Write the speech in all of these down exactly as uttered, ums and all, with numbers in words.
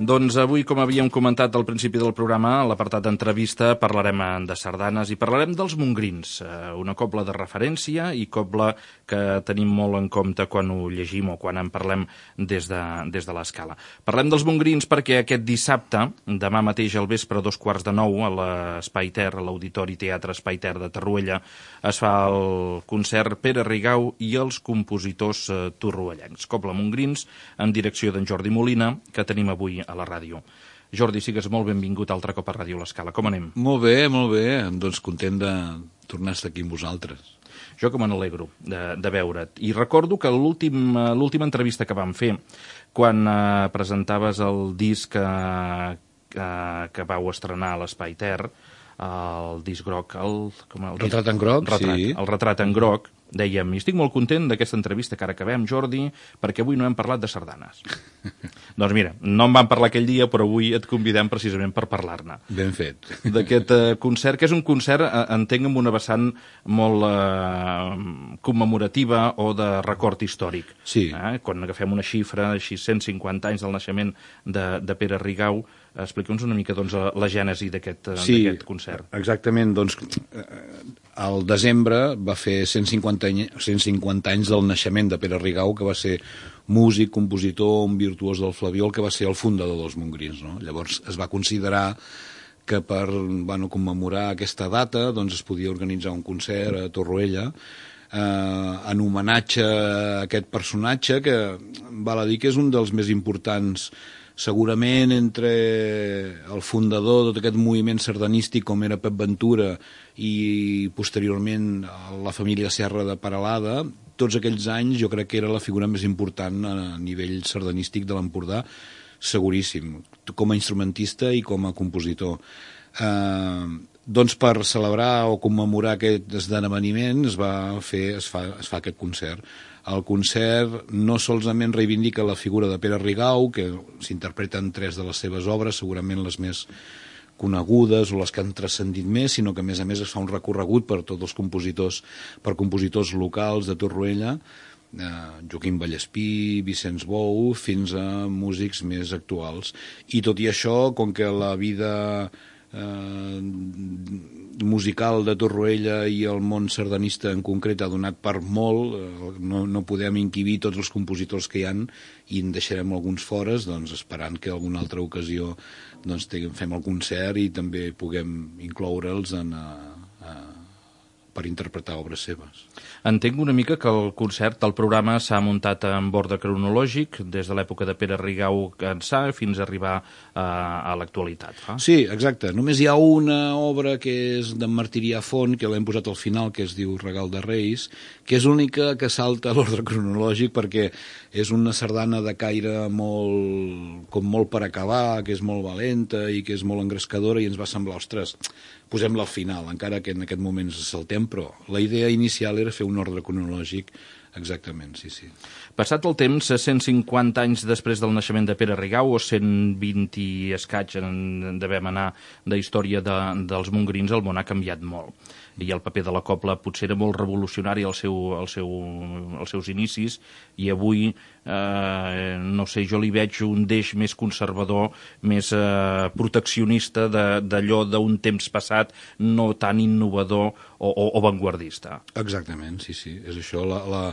Doncs avui, com havíem comentat al principi del programa, a l'apartat d'entrevista parlarem de sardanes i parlarem dels mongrins, una cobla de referència i cobla que tenim molt en compte quan ho llegim o quan en parlem des de, des de l'escala. Parlem dels mongrins perquè aquest dissabte, demà mateix al vespre, a dos quarts de nou, a l'Espai Ter, a l'Auditori Teatre Espai Ter de Torroella, es fa el concert Pere Rigau i els compositors torroellencs. Cobla mongrins, en direcció d'en Jordi Molina, que tenim avui a la ràdio. Jordi, sigues molt benvingut altre cop a Ràdio L'Escala. Com anem? Molt bé, molt bé. Doncs content de tornar a estar aquí amb vosaltres. Jo que me n'alegro de, de veure't. I recordo que l'última entrevista que vam fer, quan eh, presentaves el disc que, que, que vau estrenar a l'Espai Ter, el disc groc... El, com el retrat en groc, retrat, sí. El retrat en groc. Dèiem, i estic molt content d'aquesta entrevista que ara acabem, Jordi, perquè avui no hem parlat de sardanes. Doncs mira, no en vam parlar aquell dia, però avui et convidem precisament per parlar-ne. Ben fet. D'aquest eh, concert, que és un concert, eh, entenc, amb una vessant molt eh, commemorativa o de record històric. Sí. Eh? Quan agafem una xifra, així cent cinquanta anys del naixement de, de Pere Rigau, explica'ns una mica doncs, la gènesi d'aquest sí, concert. Exactament, doncs al desembre va fer cent cinquanta anys del naixement de Pere Rigau, que va ser músic, compositor, un virtuós del flabiol, que va ser el fundador dels mongrins, no? Llavors es va considerar que per bueno, commemorar aquesta data doncs, es podia organitzar un concert a Torroella eh, en homenatge a aquest personatge que val a dir que és un dels més importants segurament entre el fundador de tot aquest moviment sardanístic com era Pep Ventura i posteriorment la família Serra de Peralada, tots aquells anys jo crec que era la figura més important a nivell sardanístic de l'Empordà, seguríssim, com a instrumentista i com a compositor. Eh, doncs per celebrar o commemorar aquest esdeveniment es va fer, es fa, es fa aquest concert. El concert no solament reivindica la figura de Pere Rigau, que s'interpreten tres de les seves obres, segurament les més conegudes o les que han transcendit més, sinó que a més a més es fa un recorregut per tots els compositors, per compositors locals de Torroella, eh, Joaquim Vallespí, Vicenç Bou, fins a músics més actuals. I tot i això, com que la vida eh, musical de Torroella i el món sardanista en concret ha donat per molt, no, no podem inquibir tots els compositors que hi han i en deixarem alguns fores, doncs esperant que alguna altra ocasió doncs, fem el concert i també puguem incloure'ls en, a, a, per interpretar obres seves. Entenc una mica que el concert, el programa s'ha muntat en ordre cronològic des de l'època de Pere Rigau ençà fins a arribar a, a l'actualitat. Fa? Sí, exacte. Només hi ha una obra que és d'en Martirià Font, que l'hem posat al final, que es diu Regal de Reis, que és l'única que salta a l'ordre cronològic perquè és una sardana de caire molt, com molt per acabar, que és molt valenta i que és molt engrescadora i ens va semblar, ostres, posem-la al final, encara que en aquest moment ens saltem, però la idea inicial era fer un ordre cronològic. Exactament, sí, sí. Passat el temps, cent cinquanta anys després del naixement de Pere Rigau, o cent vint i escaig en devem anar de història de, dels mongrins, el món ha canviat molt. I el paper de la cobla potser era molt revolucionari al seu, al seu, als seus inicis, i avui, eh, no sé, jo li veig un deix més conservador, més eh, proteccionista d'allò d'un temps passat, no tan innovador o, o, o vanguardista. Exactament, sí, sí, és això. La, la,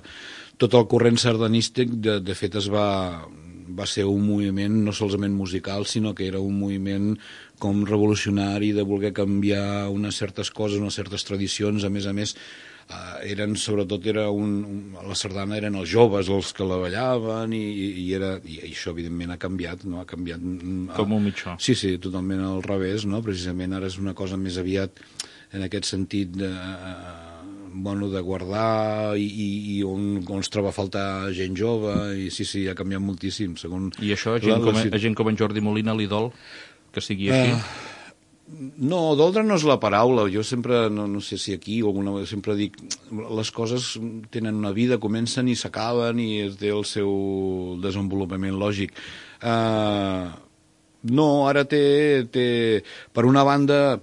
tot el corrent sardanístic, de, de fet, es va, va ser un moviment no solament musical, sinó que era un moviment com revolucionari de voler canviar unes certes coses, unes certes tradicions. A més a més, eh, eren, sobretot, era un, un, la sardana eren els joves els que la ballaven i, i, era, i això, evidentment, ha canviat, no? Ha canviat... Com un mitjó. Sí, sí, totalment al revés, no? Precisament ara és una cosa més aviat en aquest sentit de... bueno, de guardar i, i, i on, on es troba a faltar gent jove, i sí, sí, ha canviat moltíssim. Segon I això a gent, la, com, a gent com en Jordi Molina li dol que sigui així? Uh, no, doldre no és la paraula. Jo sempre, no, no sé si aquí o alguna vegada, sempre dic, les coses tenen una vida, comencen i s'acaben i es té el seu desenvolupament lògic. Uh, no, ara té, té... Per una banda...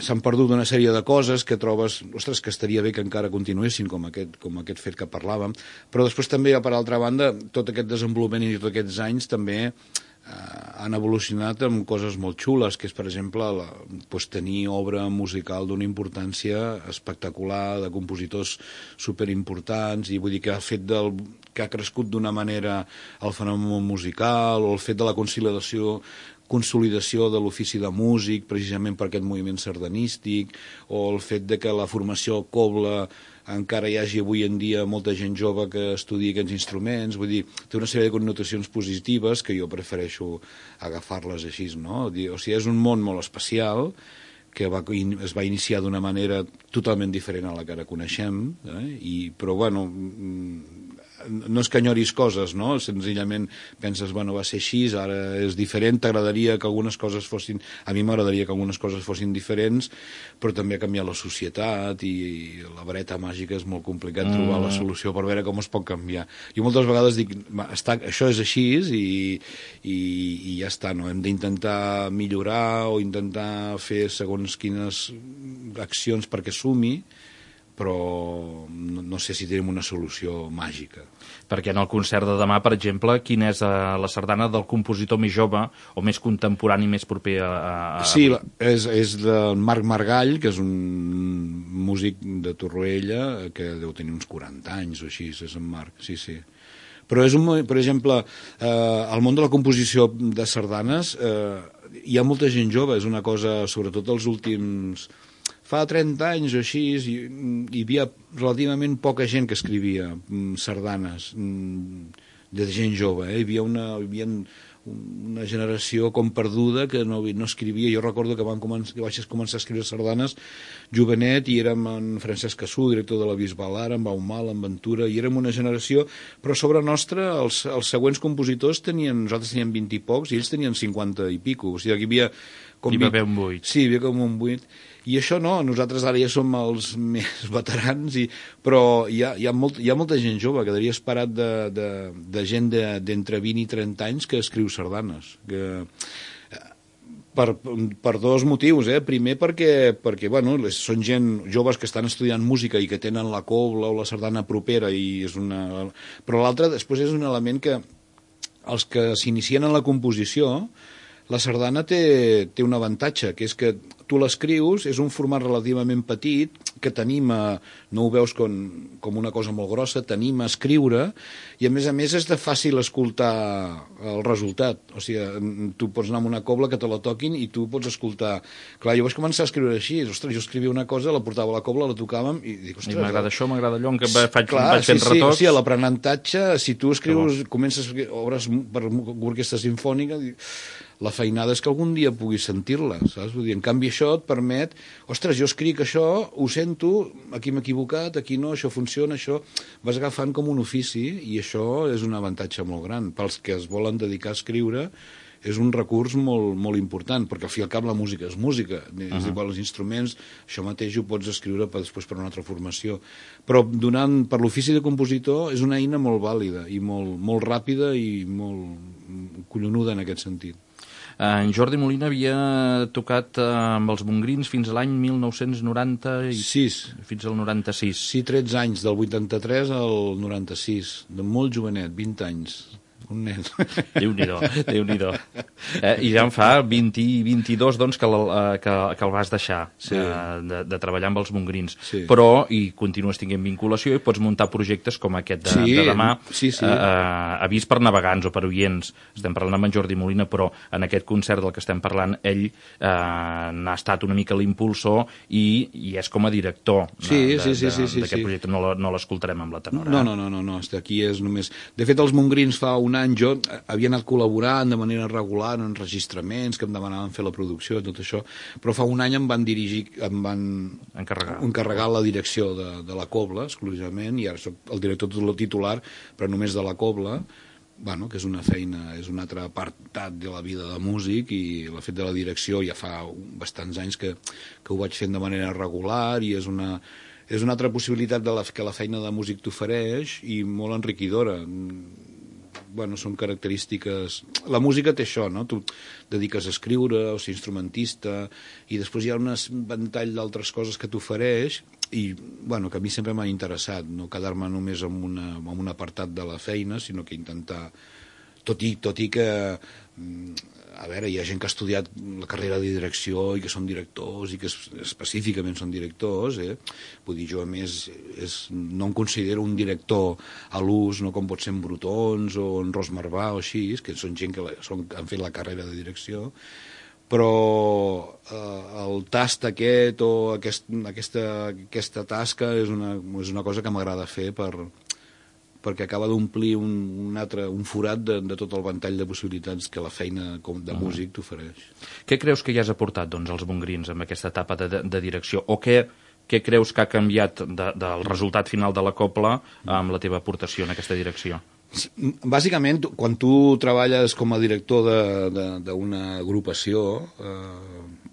s'han perdut una sèrie de coses que trobes, ostres, que estaria bé que encara continuessin, com aquest, com aquest fet que parlàvem, però després també, per altra banda, tot aquest desenvolupament i tots aquests anys també han evolucionat amb coses molt xules, que és, per exemple, la, pues, tenir obra musical d'una importància espectacular, de compositors superimportants, i vull dir que ha fet del, que ha crescut d'una manera el fenomen musical, o el fet de la conciliació consolidació de l'ofici de músic, precisament per aquest moviment sardanístic, o el fet de que la formació cobla encara hi hagi avui en dia molta gent jove que estudia aquests instruments, vull dir, té una sèrie de connotacions positives que jo prefereixo agafar-les així, no? O sigui, és un món molt especial que va, es va iniciar d'una manera totalment diferent a la que ara coneixem, eh? I, però, bueno, no és que enyoris coses, no? Senzillament penses, bueno, va ser així, ara és diferent, t'agradaria que algunes coses fossin... A mi m'agradaria que algunes coses fossin diferents, però també ha canviat la societat i la vareta màgica és molt complicat mm. trobar la solució per veure com es pot canviar. Jo moltes vegades dic, està, això és així i, i, i ja està, no? Hem d'intentar millorar o intentar fer segons quines accions perquè sumi, però no, no sé si tenim una solució màgica. Perquè en el concert de demà, per exemple, quina és la sardana del compositor més jove o més contemporani, més proper a... a... Sí, és, és del Marc Margall, que és un músic de Torroella, que deu tenir uns quaranta anys o així, és en Marc, sí, sí. Però és un, per exemple, eh, al món de la composició de sardanes eh, hi ha molta gent jove, és una cosa, sobretot els últims... Fa trenta anys o així hi, hi havia relativament poca gent que escrivia sardanes de gent jove. Eh? Hi havia una, hi havia una generació com perduda que no, no escrivia. Jo recordo que, van començar, que vaig començar a escriure sardanes jovenet i érem en Francesc Cassú, director de la Bisbal ara, en Baumal, en Ventura, i érem una generació, però sobre nostra els, els següents compositors tenien, nosaltres teníem vint i pocs i ells tenien cinquanta i pico. O sigui, hi havia... Com hi va haver un buit. Sí, hi havia com un buit. I això no, nosaltres ara ja som els més veterans, i, però hi ha, hi, ha molt, hi ha molta gent jove, quedaria esperat de, de, de gent d'entre de, vint i trenta anys que escriu sardanes. Que, per, per dos motius, eh? Primer perquè, perquè bueno, són gent joves que estan estudiant música i que tenen la cobla o la sardana propera, i és una... però l'altre després és un element que els que s'inicien en la composició, la sardana té, té un avantatge, que és que tu l'escrius, és un format relativament petit, que t'anima, no ho veus com, com una cosa molt grossa, t'anima a escriure, i a més a més és de fàcil escoltar el resultat. O sigui, tu pots anar amb una cobla que te la toquin i tu pots escoltar. Clar, jo vaig començar a escriure així, ostres, jo escrivia una cosa, la portava a la cobla, la tocàvem, i dic, ostres... I m'agrada això, m'agrada allò, en què faig, clar, vaig fent sí, retocs... Sí, o sigui, l'aprenentatge, si tu escrius, comences obres per orquestra sinfònica, la feinada és que algun dia puguis sentir-la, saps? Vull dir, en canvi això et permet, ostres, jo escric això, ho sento, aquí m'he equivocat, aquí no, això funciona, això... Vas agafant com un ofici, i això és un avantatge molt gran. Pels que es volen dedicar a escriure, és un recurs molt, molt important, perquè al fi i al cap la música és música, és uh-huh. igual els instruments, això mateix ho pots escriure per, després per una altra formació. Però donant, per l'ofici de compositor és una eina molt vàlida, i molt, molt ràpida i molt collonuda en aquest sentit. En Jordi Molina havia tocat amb els Montgrins fins a l'any mil nou-cents noranta-sis. Fins al noranta-sis. Sí, tretze anys, del vuitanta-tres al noranta-sis, de molt jovenet, vint anys. Un nen. Déu-n'hi-do, Déu-n'hi-do. Eh, I ja en fa vint, vint-i-dos, doncs, que, el, que, que el vas deixar sí. eh, de, de treballar amb els Montgrins. Sí. Però, i continues tinguent vinculació, i pots muntar projectes com aquest de, sí. de demà, sí, sí. Eh, avís per navegants o per oients. Estem parlant amb en Jordi Molina, però en aquest concert del que estem parlant, ell eh, n'ha estat una mica l'impulsor i, i és com a director sí, de, sí, sí, sí, d'aquest sí, projecte. No, no l'escoltarem amb la tenora. No, no, no, no, no, aquí és només... De fet, els Montgrins fa un any jo havia anat col·laborant de manera regular en enregistraments que em demanaven fer la producció i tot això, però fa un any em van dirigir, em van encarregar, encarregar la direcció de, de la cobla exclusivament, i ara soc el director titular però només de la cobla, bueno, que és una feina, és un altre apartat de la vida de músic, i el fet de la direcció ja fa bastants anys que, que ho vaig fent de manera regular, i és una és una altra possibilitat de la, que la feina de músic t'ofereix, i molt enriquidora. Bueno, són característiques... La música té això, no? Tu dediques a escriure, o ser instrumentista, i després hi ha un ventall d'altres coses que t'ofereix, i, bueno, que a mi sempre m'ha interessat, no quedar-me només en, una, en un apartat de la feina, sinó que intentar tot i, tot i que, a veure, hi ha gent que ha estudiat la carrera de direcció i que són directors i que específicament són directors, eh? Vull dir, jo a més és, no em considero un director a l'ús, no com pot ser en Brutons o en Ros Marvà o així, que són gent que la, són, han fet la carrera de direcció, però eh, el tast aquest o aquest, aquesta, aquesta tasca és una, és una cosa que m'agrada fer per, perquè acaba d'omplir un, un altre un forat de, de tot el ventall de possibilitats que la feina com de músic t'ofereix. Què creus que ja has aportat, doncs, als Montgrins amb aquesta etapa de, de, de direcció? O què, què creus que ha canviat de, del resultat final de la cobla amb la teva aportació en aquesta direcció? Bàsicament, quan tu treballes com a director d'una agrupació, eh,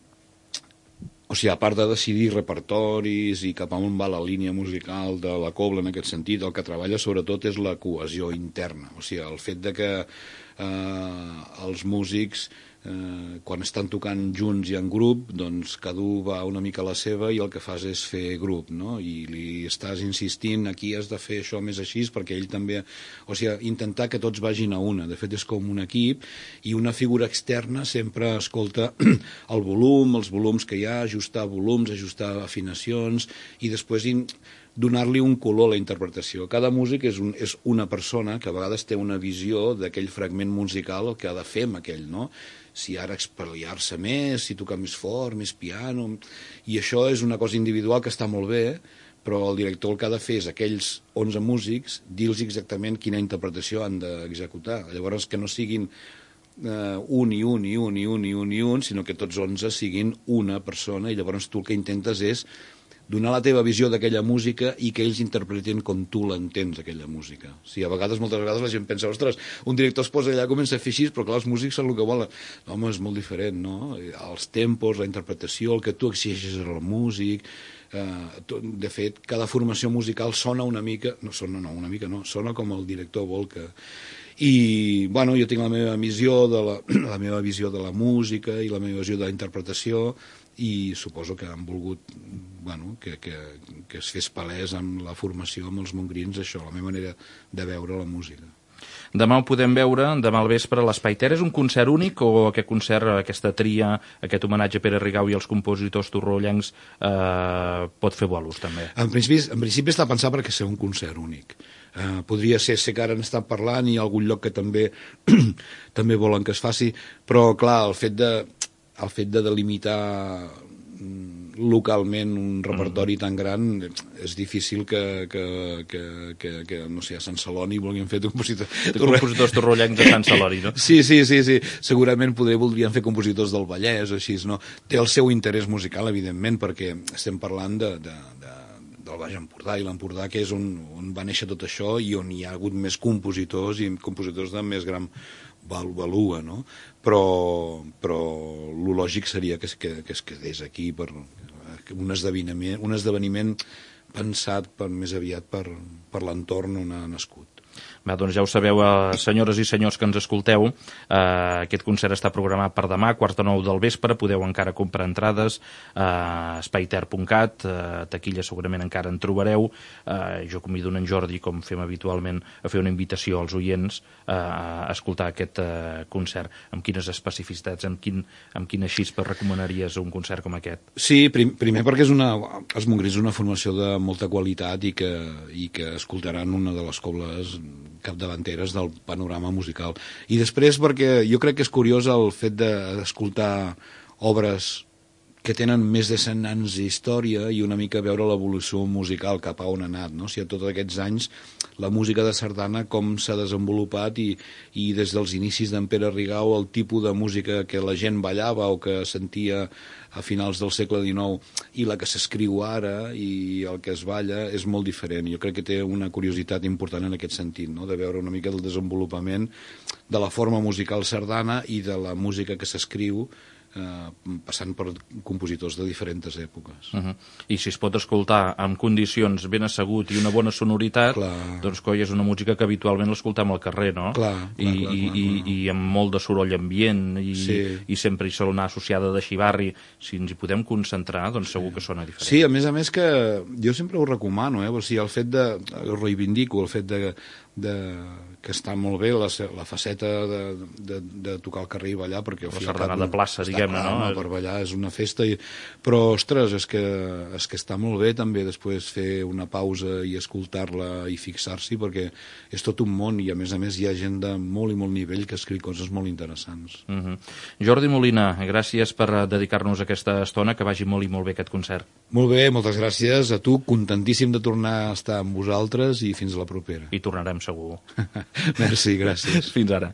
o sigui, a part de decidir repertoris i cap a on va la línia musical de la cobla en aquest sentit, el que treballa sobretot és la cohesió interna. O sigui, el fet de que eh, els músics, eh, quan estan tocant junts i en grup, doncs cada un va una mica a la seva i el que fas és fer grup, no? I li estàs insistint, aquí has de fer això més així, perquè ell també... O sigui, intentar que tots vagin a una. De fet, és com un equip i una figura externa sempre escolta el volum, els volums que hi ha, ajustar volums, ajustar afinacions i després donar-li un color a la interpretació. Cada músic és, un, és una persona que a vegades té una visió d'aquell fragment musical, el que ha de fer amb aquell, no? Si ara expel·liar-se més, si tocar més fort, més piano... I això és una cosa individual que està molt bé, però el director el que ha de fer és aquells onze músics, dir-los exactament quina interpretació han d'executar. Llavors, que no siguin Uh, un i un i un i un i un i un, sinó que tots onze siguin una persona i llavors tu el que intentes és donar la teva visió d'aquella música i que ells interpretin com tu l'entens, aquella música. O sigui, a vegades, moltes vegades la gent pensa, ostres, un director es posa allà, comença a fer així, però clar, els músics són el que volen. No, home, és molt diferent, no? Els tempos, la interpretació, el que tu exigeixes al músic... Uh, de fet, cada formació musical sona una mica, no sona no, una mica no, sona com el director vol que... I, bueno, jo tinc la meva visió de la, la meva visió de la música i la meva visió de la interpretació i suposo que han volgut, bueno, que, que, que es fes palès amb la formació amb els Montgrins, això, la meva manera de veure la música. Demà ho podem veure, demà al vespre a l'Espai Ter. És un concert únic o aquest concert, aquesta tria, aquest homenatge a Pere Rigau i als compositors torroellencs eh, pot fer bolos també? En principi, en principi està pensat perquè ser un concert únic. Uh, podria ser, sé que ara n'estan parlant i hi ha algun lloc que també també volen que es faci, però clar, el fet de, el fet de delimitar localment un repertori tan gran és difícil que, que, que, que, que no sé, a Sant Celoni vulguin fer compositors... compositors torroellencs a Sant Celoni, no? Sí, sí, sí, sí. Segurament poder voldrien fer compositors del Vallès o així, no? Té el seu interès musical, evidentment, perquè estem parlant de, de, de del Baix Empordà i l'Empordà, que és on, on va néixer tot això i on hi ha hagut més compositors i compositors de més gran valua, no? Però, però el lògic seria que es, que, que es quedés aquí per un esdeveniment, un esdeveniment pensat per, més aviat per, per l'entorn on ha nascut. Bé, doncs ja ho sabeu, eh, senyores i senyors que ens escolteu, eh, aquest concert està programat per demà, quart de nou del vespre, podeu encara comprar entrades a eh, espaiter punt cat, eh, taquilla segurament encara en trobareu, eh, jo convido en Jordi, com fem habitualment, a fer una invitació als oients eh, a escoltar aquest eh, concert. Amb quines especificitats, amb, quin, amb quina xispa recomanaries un concert com aquest? Sí, prim, primer perquè és una, els Montgrins és una formació de molta qualitat i que, i que escoltaran una de les cobles capdavanteres del panorama musical. I després perquè jo crec que és curiós el fet d'escoltar obres que tenen més de cent anys d'història i una mica veure l'evolució musical cap a on ha anat, no? O sigui, tots aquests anys la música de sardana com s'ha desenvolupat i, i des dels inicis d'en Pere Rigau el tipus de música que la gent ballava o que sentia a finals del segle dinou i la que s'escriu ara i el que es balla és molt diferent. Jo crec que té una curiositat important en aquest sentit, no? De veure una mica el desenvolupament de la forma musical sardana i de la música que s'escriu eh, passant per compositors de diferents èpoques. Uh-huh. I si es pot escoltar amb condicions ben assegut i una bona sonoritat, clar, doncs coi, és una música que habitualment l'escoltem al carrer, no? Clar, I, clar, clar, i, clar, i, clar. i amb molt de soroll ambient i, sí. i sempre hi sol anar associada de xivarri. Si ens hi podem concentrar, doncs segur que sona diferent. Sí, a més a més que jo sempre ho recomano, eh? O sigui, el fet de, ho reivindico, el fet de de, que està molt bé la, la faceta de, de, de tocar al carrer i ballar, perquè al la final sardana de plaça, diguem-ne, no? Per ballar és una festa, i... però, ostres, és que, és que està molt bé també després fer una pausa i escoltar-la i fixar-s'hi, perquè és tot un món i, a més a més, hi ha gent de molt i molt nivell que escriu coses molt interessants. Uh -huh. Jordi Molina, gràcies per dedicar-nos aquesta estona, que vagi molt i molt bé aquest concert. Molt bé, moltes gràcies a tu, contentíssim de tornar a estar amb vosaltres i fins a la propera. I tornarem segur. Merci, gràcies. Fins ara.